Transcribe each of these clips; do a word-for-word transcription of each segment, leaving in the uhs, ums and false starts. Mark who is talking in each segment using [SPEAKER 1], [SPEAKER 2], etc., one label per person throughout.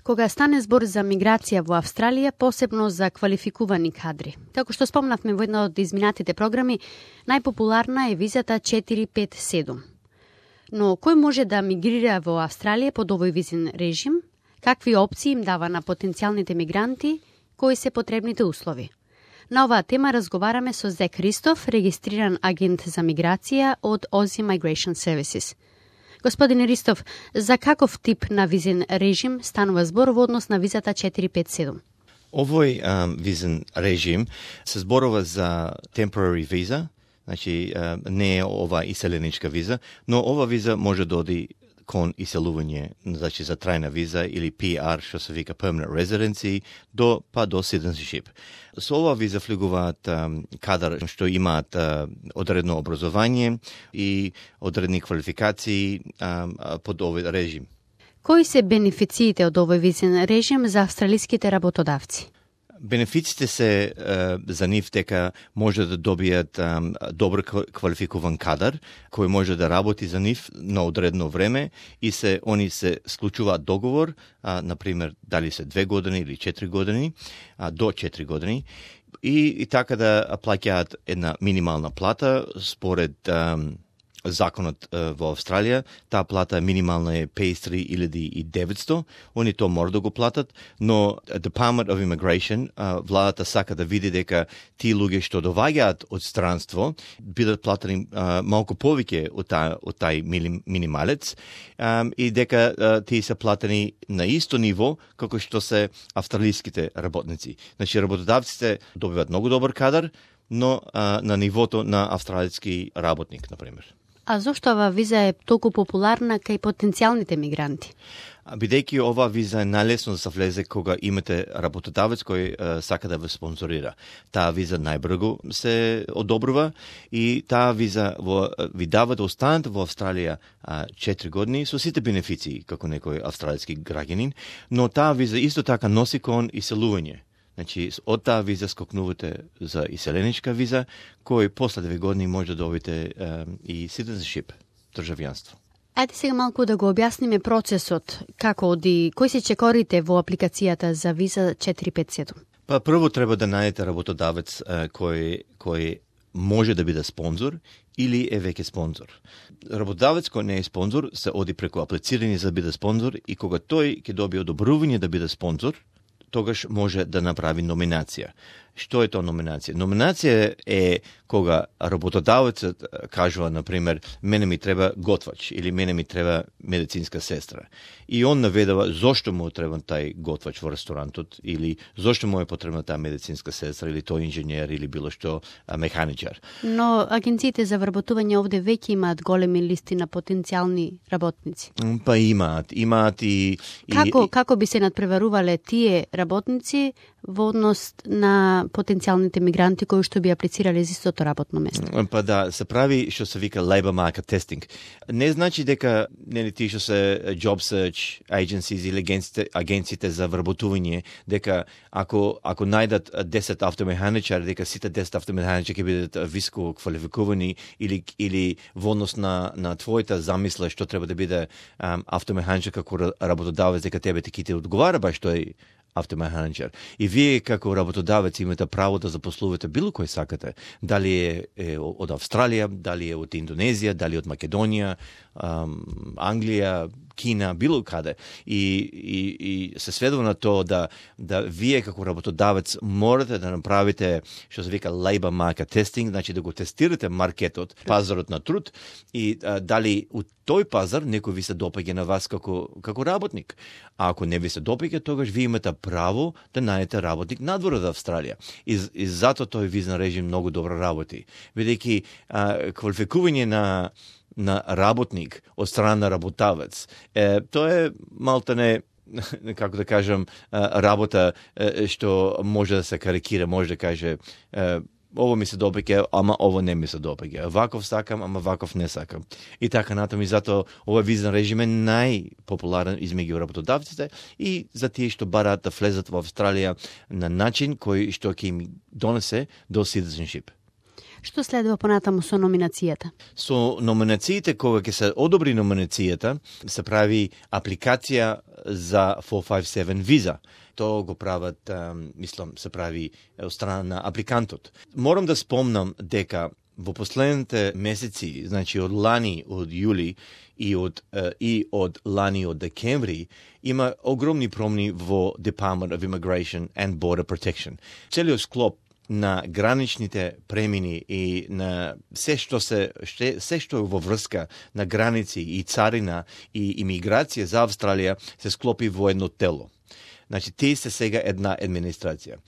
[SPEAKER 1] Кога стане збор за миграција во Австралија, посебно за квалификувани кадри. Како што спомнавме во една од изминатите програми, најпопуларна е визата четири пет седум. Но кој може да мигрира во Австралија под овој визен режим? Какви опции им дава на потенцијалните мигранти? Кои се потребните услови? На оваа тема разговараме со Зек Ристов, регистриран агент за миграција од Aussie Migration Services. Господине Ристов, за каков тип на визен режим станува збор во однос на визата четири пет седум?
[SPEAKER 2] Овој um, визен режим се зборува за temporary visa, значи uh, не е ова иселеничка виза, но ова виза може да оди кон иселување, значи за трајна виза или Пи Ар, што се вика permanent residency, до па до citizenship. Со ова виза влегуваат um, кадар што имаат uh, одредно образование и одредни квалификации um, под овој режим.
[SPEAKER 1] Кои се бенефициите од овој визен режим за австралиските работодавци?
[SPEAKER 2] Бенефиците се uh, за нив дека може да добијат um, добро квалификуван кадар кој може да работи за нив на одредно време и се они се склучуваат договор, uh, на пример дали се две години или четири години, uh, до четири години и, и така да плаќаат една минимална плата според um, законот uh, во Австралија. Таа плата минимална е педесет и три илјади и деветсто, они тоа мора да го платат, но Department of Immigration, uh, владата сака да види дека тие луѓе што доваѓаат од странство бидат платени uh, малку повеќе од тај од тај минималец um, и дека uh, тие се платени на исто ниво како што се австралиските работници. Значи работодавците добиваат многу добар кадар, но uh, на нивото на австралиски работник, на пример.
[SPEAKER 1] А зошто оваа виза е толку популарна кај потенцијалните мигранти?
[SPEAKER 2] Бидејќи оваа виза е најлесно да се влезе кога имате работодавец кој е, сака да ве спонзорира. Таа виза најбрзо се одобрува и таа виза во, ви дава да останете во Австралија четири години со сите бенефиции како некој австралиски граѓанин, но таа виза исто така носи кон иселување. Значи, од таа виза скокнувате за иселеничка виза, кој после две години може да добите е, и citizenship, државјанство.
[SPEAKER 1] Ајде сега малку да го објасниме процесот, како оди, кои се чекорите во апликацијата за виза четири пет седум?
[SPEAKER 2] Па прво треба да најдете работодавец е, кој, кој може да биде спонзор или е веќе спонзор. Работодавец кој не е спонзор се оди преку аплицирање за да биде спонзор и кога тој ќе добие одобрување да биде спонзор, тогаш може да направи номинација. Што е тоа номинација? Номинација е кога работодавецот кажува, например, мене ми треба готвач или мене ми треба медицинска сестра. И он наведува зошто му треба тај готвач во ресторантот или зошто му е потребна таа медицинска сестра или тој инженер или било што механичар.
[SPEAKER 1] Но агенциите за вработување овде веќе имаат големи листи на потенцијални работници.
[SPEAKER 2] Па имаат, имаат и...
[SPEAKER 1] Како,
[SPEAKER 2] и...
[SPEAKER 1] како би се надпреварувале тие работници во однос на потенцијалните мигранти кои што би аплицирале за истото работно место?
[SPEAKER 2] Па да, се прави што се вика labor market testing. Не значи дека нели тие што се job search agencies или агенциите, агенциите за вработување, дека ако ако најдат десет автомеханичари, дека сите десет автомеханичари ќе бидат високо квалификувани или или во однос на на твојата замисла што треба да биде um, автомеханичар како работодавец, дека тебе ти ќе одговара баш тој автомеханичар. И вие како работодавец имате право да запослувате било кој сакате. Дали е, е од Австралија, дали е од Индонезија, дали од Македонија, ам, Англија, Кина, било каде. И, и, и се сведува на тоа да, да вие како работодавец морате да направите што се вика labor market testing, значи да го тестирате маркетот, пазарот на труд и а, дали у тој пазар некој ви се допаѓа на вас како, како работник. А ако не ви се допаѓа, тогаш ви имате право да најдете работник надвор од Австралија. И, и затоа тој визен режим многу добро работи. Бидејќи квалификување на на работник од страна на работавец, е, тоа е малтане, како да кажам, работа е, што може да се карикира, може да каже е, ово ми се допаѓа, ама ово не ми се допаѓа. Ваков сакам, ама ваков не сакам. И така натаму, и затоа овој визен режим е најпопуларен измеѓу работодавците и за тие што бараат да влезат во Австралија на начин кој што ќе им донесе до citizenship.
[SPEAKER 1] Што следува понатаму со номинацијата?
[SPEAKER 2] Со номинациите, кога ќе се одобри номинацијата, се прави апликација за четириста петдесет и седум виза. Тоа го прават, мислам, се прави од страна на апликантот. Морам да спомнам дека во последните месеци, значи од лани, од јули и од и од лани од декември, има огромни промени во Department of Immigration and Border Protection. Целиот склоп на граничните премини и на се што се ше, се што е во врска на граници и царина и имиграција за Австралија се склопи во едно тело. Значи, тие се сега една администрација.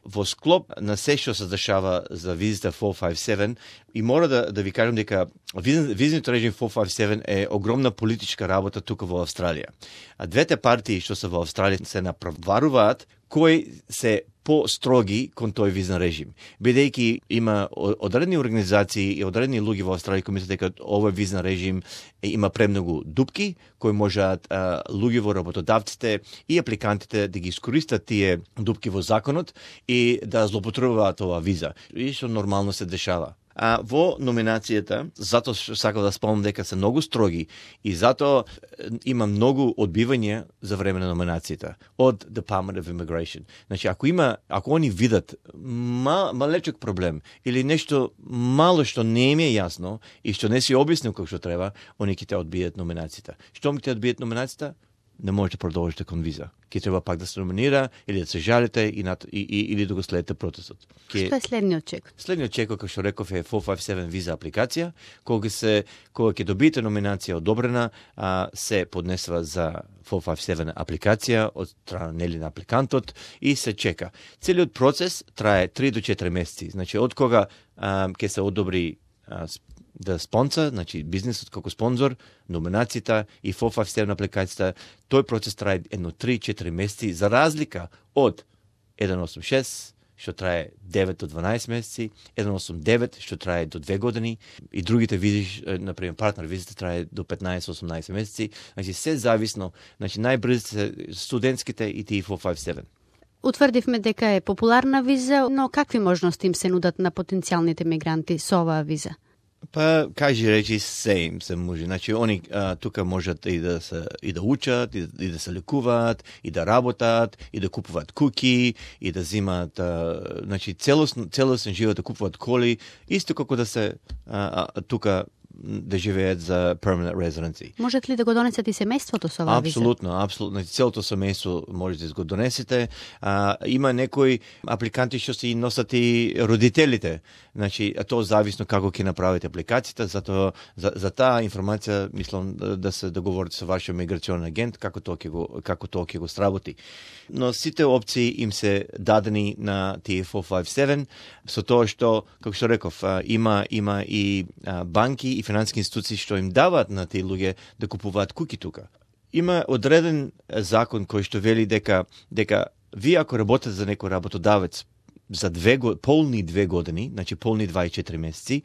[SPEAKER 2] Во склоп на се што се дешава за визите четириста петдесет и седум, и мора да, да ви кажам дека визниот режим четириста петдесет и седум е огромна политичка работа тука во Австралија. А двете партии што се во Австралија се направаруваат кои се по-строги кон тој визен режим. Бидејќи има одредени организации и одредени луѓе во Австралија кои мислат дека овој визен режим има премногу дупки, кои можат а, луѓе во работодавците и апликантите да ги искористат тие дупки во законот и да злоупотребуваат оваа виза. И што нормално се дешава. А во номинацијата, затоа сакав да спомнам дека се многу строги и затоа има многу одбивање за време на номинацијата од Department of Immigration. Значи, ако има, ако они видат мал, малечок проблем или нешто мало што не им е јасно и што не си објаснил како што треба, они ќе те одбијат номинацијата. Што ми те одбијат номинацијата? Не можете продолжите кон виза. Ке треба пак да се номинира или да се жалите и, над, и, и, или да го следите процесот. Ке...
[SPEAKER 1] Што е следниот чек?
[SPEAKER 2] Следниот чек, како што реков, е четириста петдесет и седум виза апликација. Кога се кога ќе добиете номинација одобрена, а, се поднесува за четириста петдесет и седум апликација од страна нели на апликантот и се чека. Целиот процес трае три до четири месеци. Значи, од кога а, ќе се одобри а, да спонсор, значи бизнисот како спонзор, номинацијата и четириста петдесет и седум апликацијата, тој процес трае едно три до четири месеци, за разлика од еден осум шест, што трае девет до дванаесет месеци, еден осум девет, што трае до две години, и другите визи, например, партнер визите трае до петнаесет до осумнаесет месеци, значи се зависно, значи најбрзо се студентските и тие четириста петдесет и седум.
[SPEAKER 1] Утврдивме дека е популарна виза, но какви можности им се нудат на потенцијалните мигранти со оваа виза?
[SPEAKER 2] Па, кажи речи, се им се може. Значи, они а, тука можат и да се и да учат, и, и да се лекуваат, и да работат, и да купуваат куки, и да земаат, а, значи, целосно, целосен живот да купуваат коли, исто како да се а, а, тука да живеат за permanent residency.
[SPEAKER 1] Можат ли да го донесат и семејството со оваа виза?
[SPEAKER 2] Апсолутно, апсолутно. Целото семејство може да го донесете. А, има некои апликанти што си носат и родителите. Значи, тоа зависно како ќе направите апликацијата, затоа за, за таа информација мислам да, да се договорите со вашиот миграционен агент како тоа ќе го како тоа ќе го сработи. Но сите опции им се дадени на тие четириста петдесет и седум со тоа што, како што реков, има има и банки и финансиски институции што им даваат на тие луѓе да купуваат куки тука. Има одреден закон кој што вели дека дека вие ако работите за некој работодавец за две полни две години, значи полни дваесет и четири месеци,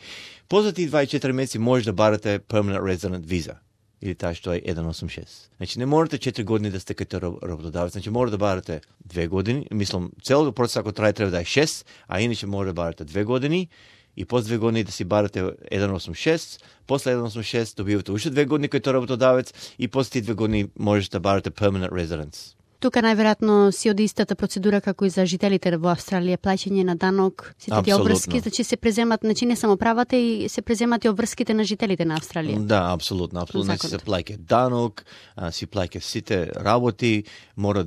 [SPEAKER 2] после тие дваесет и четири месеци може да барате permanent resident visa или таа што е еден осум шест. Значи не можете четири години да сте кај работодавец, значи може да барате две години, мислам целиот процес ако трае треба да е шест, а иначе може да барате две години. И после две години да си барате еден осум шест, после еден осум шест добивате уште две години кај тој работодавец и после тие две години можете да барате permanent residence.
[SPEAKER 1] Тука најверојатно си од истата процедура како и за жителите во Австралија, плаќање на данок, сите тие обврски, значи се преземат, значи не само правата и се преземат и обврските на жителите на Австралија.
[SPEAKER 2] Да, апсолутно, апсолутно се плаќа данок, а, си плаќа сите работи, мора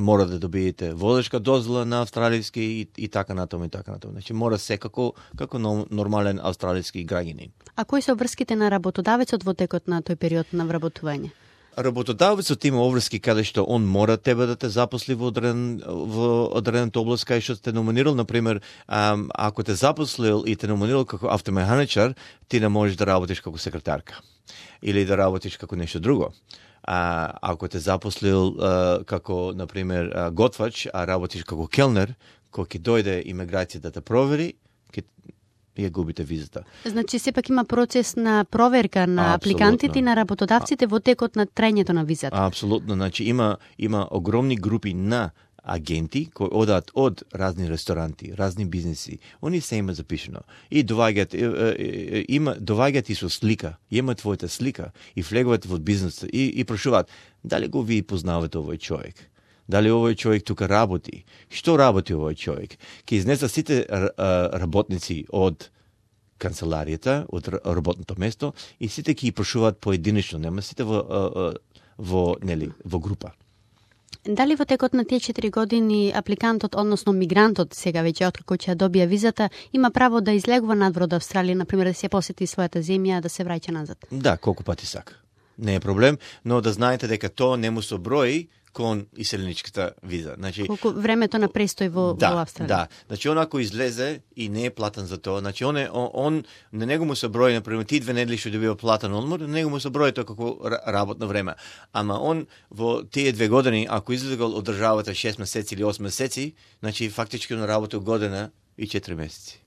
[SPEAKER 2] мора да добиете возачка дозвола на австралиски и, и така натаму и така натаму. Значи мора секако како нормален австралиски граѓанин. А
[SPEAKER 1] кои се обврските на работодавецот во текот на тој период на вработување?
[SPEAKER 2] Работодавецот има обврски каде што он мора тебе да те запосли во одреден во одредената област кај што те номинирал, например, ако те запослил и те номинирал како автомеханичар, ти не можеш да работиш како секретарка или да работиш како нешто друго. А ако те запослил а, како например а, готвач, а работиш како келнер, кога ќе дојде имиграција да те провери, ќе ја губите визата.
[SPEAKER 1] Значи, сепак има процес на проверка на апликантите и на работодавците во текот на трајањето на визата.
[SPEAKER 2] Апсолутно. Значи, има, има огромни групи на агенти кои одат од разни ресторанти, разни бизнеси, они се има запишено. И доваѓат, има, доваѓат и со слика, има твојата слика и влегуваат во бизнесот и, и прошуваат, дали го ви познавате овој човек? Дали овој човек тука работи? Што работи овој човек? Ке изнеса сите работници од канцеларијата, од работното место и сите ќе ги прошуваат поединечно, нема сите во, во, нели, во група.
[SPEAKER 1] Дали во текот на тие четири години апликантот, односно мигрантот, сега веќе откако ќе добија визата, има право да излегува надвор од Австралија, например да се посети својата земја, да се враќа назад?
[SPEAKER 2] Да, колку пати сака. Не е проблем, но да знаете дека тоа не му се брои кон иселеничката виза. Значи,
[SPEAKER 1] колку времето на престој во,
[SPEAKER 2] да,
[SPEAKER 1] во Австралија?
[SPEAKER 2] Да, значи он ако излезе и не е платен за тоа, значи он, е, он, он на него му се брои, например, ти две недели што добива платен одмор, на него му се брои тоа како работно време. Ама он во тие две години, ако излегол од државата шест месеци или осем месеци, значи фактички он работил година и четири месеци.